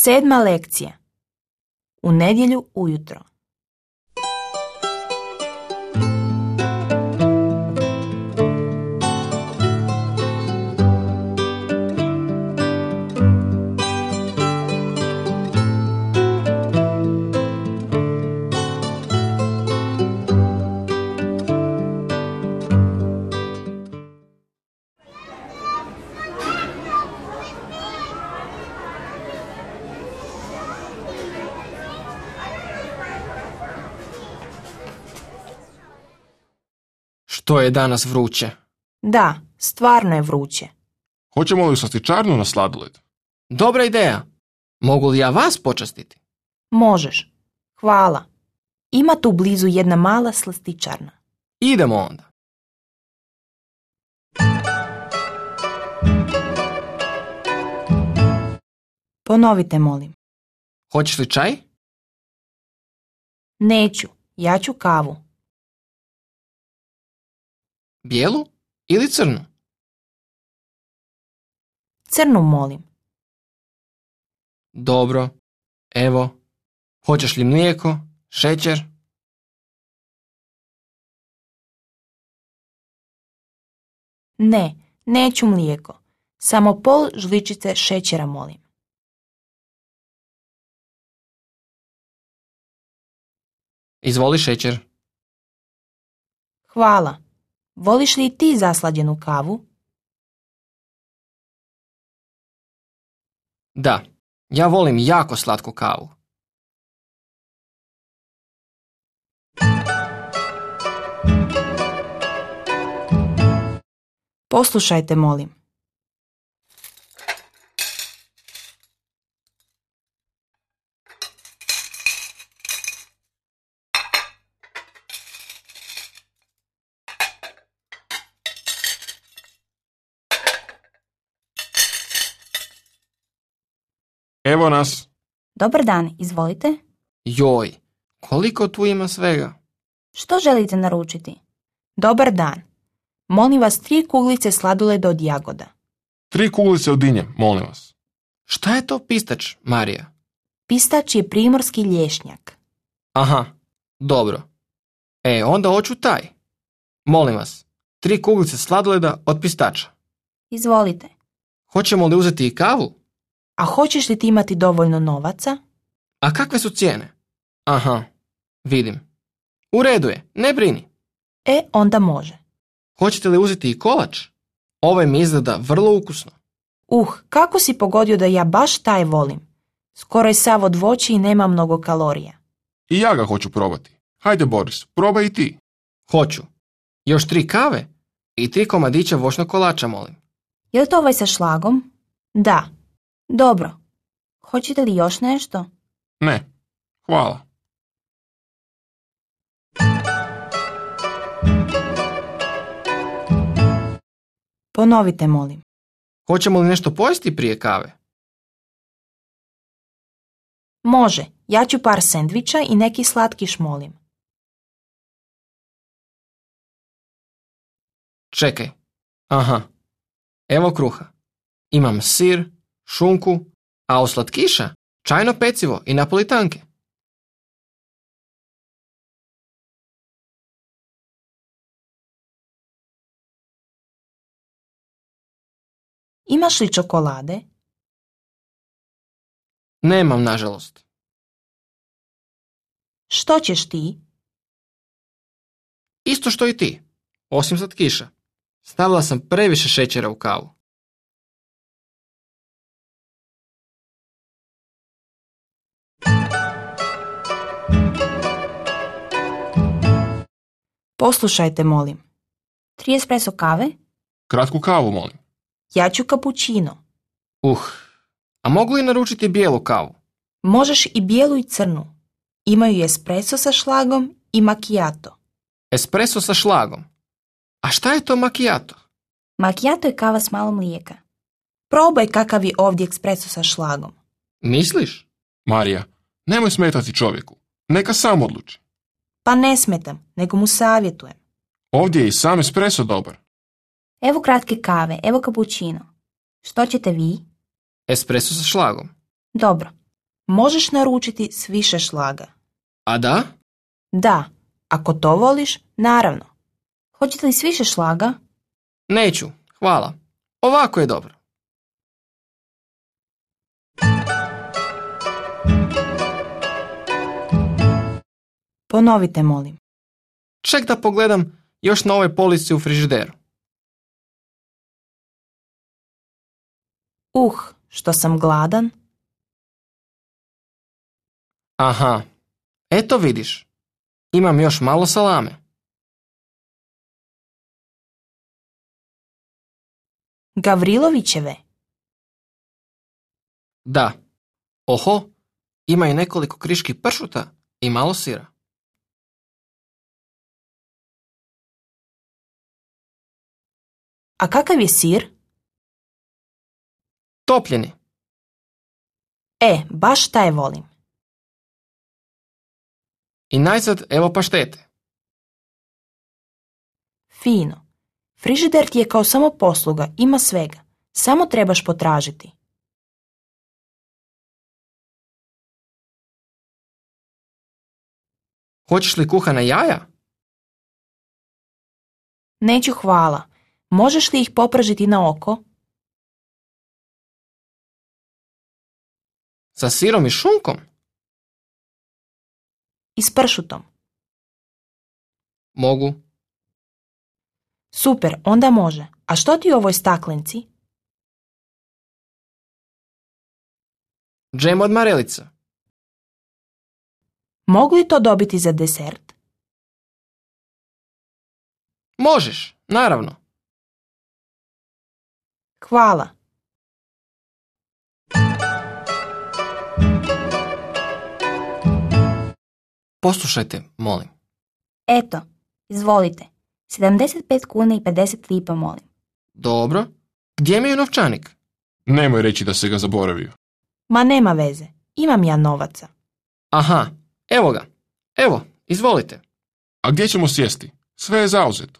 7. lekcija. U nedjelju ujutro. Što je danas vruće? Da, stvarno je vruće. Hoćemo li u slastičarnu na sladoled? Dobra ideja. Mogu li ja vas počastiti? Možeš. Hvala. Ima tu blizu jedna mala slastičarna. Idemo onda. Ponovite, molim. Hoćeš li čaj? Neću. Ja ću kavu. Bijelu ili crnu? Crnu, molim. Dobro. Evo. Hoćeš li mlijeko, šećer? Ne, neću mlijeko. Samo pol žličice šećera, molim. Izvoli šećer. Hvala. Voliš li i ti zaslađenu kavu? Da, ja volim jako slatku kavu. Poslušajte, molim. Evo nas. Dobar dan, izvolite. Joj, koliko tu ima svega? Što želite naručiti? Dobar dan. Molim vas 3 kuglice sladoleda od jagoda. 3 kuglice od dinje, molim vas. Šta je to pistač, Marija? Pistač je primorski lješnjak. Aha, dobro. Onda hoću taj. Molim vas, 3 kuglice sladoleda od pistača. Izvolite. Hoćemo li uzeti i kavu? A hoćeš li ti imati dovoljno novaca? A kakve su cijene? Aha, vidim. U redu je, ne brini. Onda može. Hoćete li uzeti i kolač? Ovaj mi izgleda vrlo ukusno. Kako si pogodio da ja baš taj volim? Skoro je sav od voća i nema mnogo kalorija. I ja ga hoću probati. Hajde, Boris, probaj i ti. Hoću. Još 3 kave i 3 komadića voćnog kolača, molim. Je li to ovaj sa šlagom? Da. Dobro. Hoćete li još nešto? Ne, hvala. Ponovite, molim. Hoćemo li nešto pojesti prije kave? Može. Ja ću par sendviča i neki slatkiš, molim. Čekaj. Aha. Evo kruha. Imam sir, šunku, a od slatkiša čajno pecivo i napolitanke. Imaš li čokolade? Nemam, nažalost. Što ćeš ti? Isto što i ti, osim slatkiša. Stavila sam previše šećera u kavu. Poslušajte, molim. 3 espresso kave? Kratku kavu, molim. Ja ću kapućino. A mogu li naručiti bijelu kavu? Možeš i bijelu i crnu. Imaju espresso sa šlagom i macchiato. Espresso sa šlagom. A šta je to macchiato? Macchiato je kava s malo mlijeka. Probaj kakav je ovdje espresso sa šlagom. Misliš? Marija, nemoj smetati čovjeku. Neka sam odluči. Pa ne smetam, nego mu savjetujem. Ovdje je i sam espresso dobar. Evo kratke kave, evo kapućino. Što ćete vi? Espresso sa šlagom. Dobro, možeš naručiti s više šlaga. A da? Da, ako to voliš, naravno. Hoćete li s više šlaga? Neću, hvala. Ovako je dobro. Ponovite, molim. Ček da pogledam još na ove police u frižideru. Što sam gladan. Aha, eto vidiš. Imam još malo salame. Gavrilovićeve. Da. Oho, ima i nekoliko kriški pršuta i malo sira. A kakav je sir? Topljeni. Baš taj volim. I najzad evo paštete. Fino. Frižider ti je kao samoposluga, ima svega. Samo trebaš potražiti. Hoćeš li kuhana jaja? Neću, hvala. Možeš li ih popržiti na oko? Sa sirom i šunkom? I s pršutom. Mogu. Super, onda može. A što ti u ovoj staklenci? Džem od marelica. Mogu li to dobiti za desert? Možeš, naravno. Hvala. Poslušajte, molim. Eto, izvolite. 75 kuna i 50 lipa, molim. Dobro. Gdje mi je novčanik? Nemoj reći da se ga zaboravio. Ma nema veze. Imam ja novaca. Aha, evo ga. Evo, izvolite. A gdje ćemo sjesti? Sve je zauzeto.